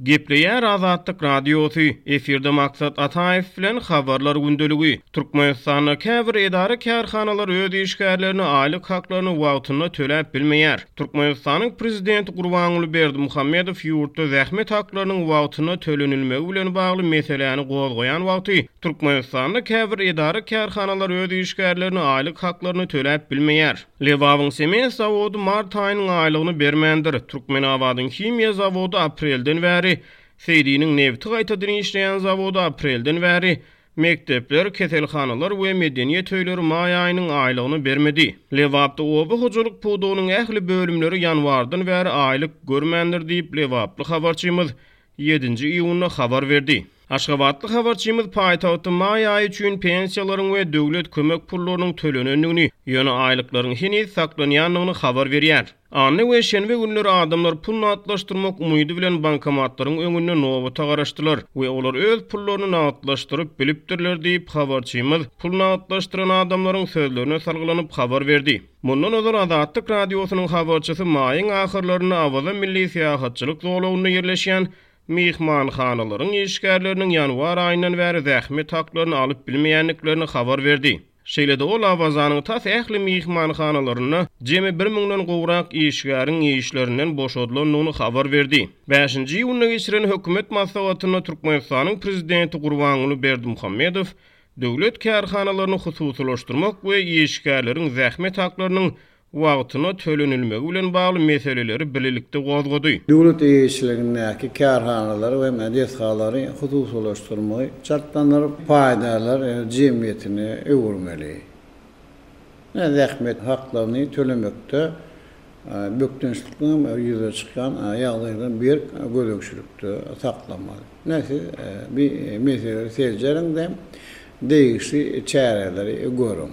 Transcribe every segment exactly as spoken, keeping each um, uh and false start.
Gepleýär Azatlyk Radiosy, efirde Maksat Ataýew bilen Habarlar gündeligi. Türkmenistanda käbir edara-kärhanalar öz işgärlerine aýlyk haklaryny wagtynda töläp bilmeýär. Türkmenistanyň prezidenti Gurbanguly Berdimuhamedow ýurtda zähmet haklarynyň wagtynda tölenilmegi bilen bagly meseläni gozgaýan wagty Türkmenistanda käbir edara-kärhanalar öz işgärlerine aýlyk haklaryny töläp bilmeýär. Lebabyň sement zawody mart aýynyň aýlygyny bermändir. Türkmenabadyň himiýa zawody aprelden bäri, Seýdiniň nebti gaýtadan işleýän zawody aprelden bäri, mekdepler, keselhanalar we medeniýet öýleri maý aýynyň aýlygyny bermedi. Lebapda oba hojalyk pudagynyň ähli bölümleri ýanwardan bäri aýlyk görmändir diýip, lebaply habarçymyz ýedinji iýunda habar berdi. Aşgabatly habarçymyz paýtagtda maý aýy üçin pensiýalaryň we döwlet kömek pullarynyň tölenendigini, ýöne aýlyklaryň heniz saklanýandygyny habar berýär. Anna we şenbe günleri adamlar pul nagtlaşdyrmak umydy bilen bankomatlaryň öňünde nobata garaşdylar we olar öz pullaryny nagtlaşdyryp bilipdirler diýip, habarçymyz pul nagtlaşdyran adamlaryň sözlerine salgylanyp habar berdi. Mundan ozal Azatlyk Radiosynyň habarçysy maýyň ahyrlarynda Awaza milli syýahatçylyk zolagynda ýerleşýän myhmanhanalaryň işgärleriniň ýanwar aýyndan bäri zähmet haklaryny alyp bilmeýändiklerini habar berdi. Şeýle-de ol Awazanyň tas ähli myhmanhanalarynda jemi bir müňden gowrak işgäriň işlerinden boşadylandygyny habar berdi. Bäşinji iýunda geçiren hökümet maslahatynda Türkmenistanyň prezidenti Gurbanguly Berdimuhamedow döwlet kärhanalaryny hususylaşdyrmak we işgärleriň zähmet haklarynyň wagtyna tölenilmegi bilen bagly meseleleri birlikde gozgady. Döwlet eýeçiligindäki kärhanalary we desgalary hususylaşdyrmagy çaltlandyryp, paýdarlar jemgyýetine öwürmeli. Zähmet haklaryny tölemekde bökdençliklerin ýüze çykýan ýagdaýdan berk gözegçilikde saklamaly. Näse bir meseleleri seljeriň-de degişli çäreleri görüň.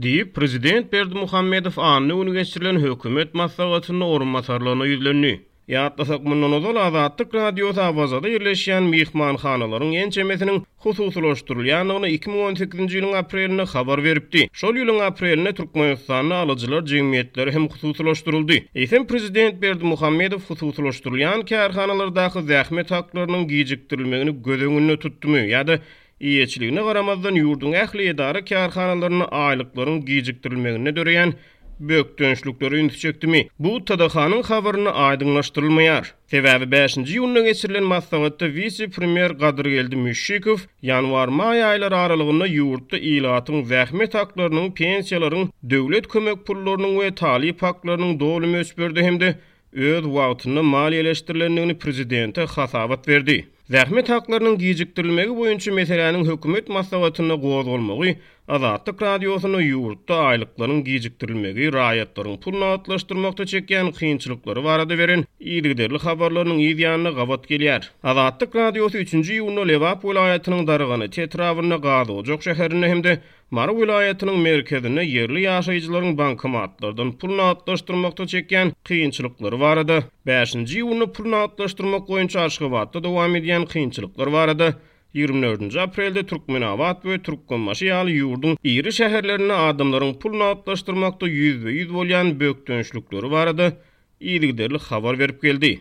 Diýip, prezident Berdimuhamedow anna güni geçirilen hökümet maslahatynda orunbasarlaryna ýüzlendi. Ýatlasak, mundan ozal Azatlyk Radiosy Awazada ýerleşýän myhmanhanalaryň ençemesiniň hususylaşdyrylýandygyny iki müň on sekizinji ýylyň aprelinde habar beripdi. Şol ýylyň aprelinde Türkmenistanda alyjylar jemgyýetleri hem hususylaşdyryldy. Eýsem prezident Berdimuhamedow hususylaşdyrylýan kärhanalardaky zähmet haklarynyň gijikdirilmegini göz öňünde tutdumy ýa-da eýeçiligine garamazdan ýurduň ähli edara kärhanalarynda aýlyklaryň gijikdirilmeginde döreýän bökdençlikleri ünsi çekdimi? Bu T D H-nyň habarynda aýdyňlaşdyrylmaýar. Sebäbi bäşinji iýunda geçirilen maslahatda wise-premýer Gadyrgeldi Müşşikow ýanwar-maý aýlary aralygynda ýurtda ilatyň zähmet haklarynyň, pensiýalaryň, döwlet kömek pullarynyň we talyp haklarynyň doly möçberde hem-de öz wagtynda maliýeleşdirilendigini prezidente hasabat berdi. Zähmet haklarynyň gijikdirilmegi boýunça meseläniň hökümet maslahatynda gozgalmagy Azatlyk Radiosynda ýurtda aýlyklaryň gijikdirilmegi, raýatlaryň pul nagtlaşdyrmakda çekýän kynçylyklary barada beren yzygiderli habarlarynyň yz ýanyna gabat gelýär. Azatlyk Radiosy üçünji iýunda Lebap welaýatynyň Darganata etrabynda Gazojak şäherinde hem-de Mary welaýatynyň merkezinde ýerli ýaşaýjylaryň bankomatlardan pul nagtlaşdyrmakda çekýän kynçylyklary barada, bäşinji iýunda pul nagtlaşdyrmak boýunça Aşgabatda dowam edýän kynçylyklar barada ýigrimi dördünji aprelde Türkmenabat we Türkmenbaşy ýaly ýurduň iri şäherlerinde adamlaryň pul nagtlaşdyrmakda ýüzbe-ýüz bolýan bökdençlikleri barada yzygiderli habar berip geldi.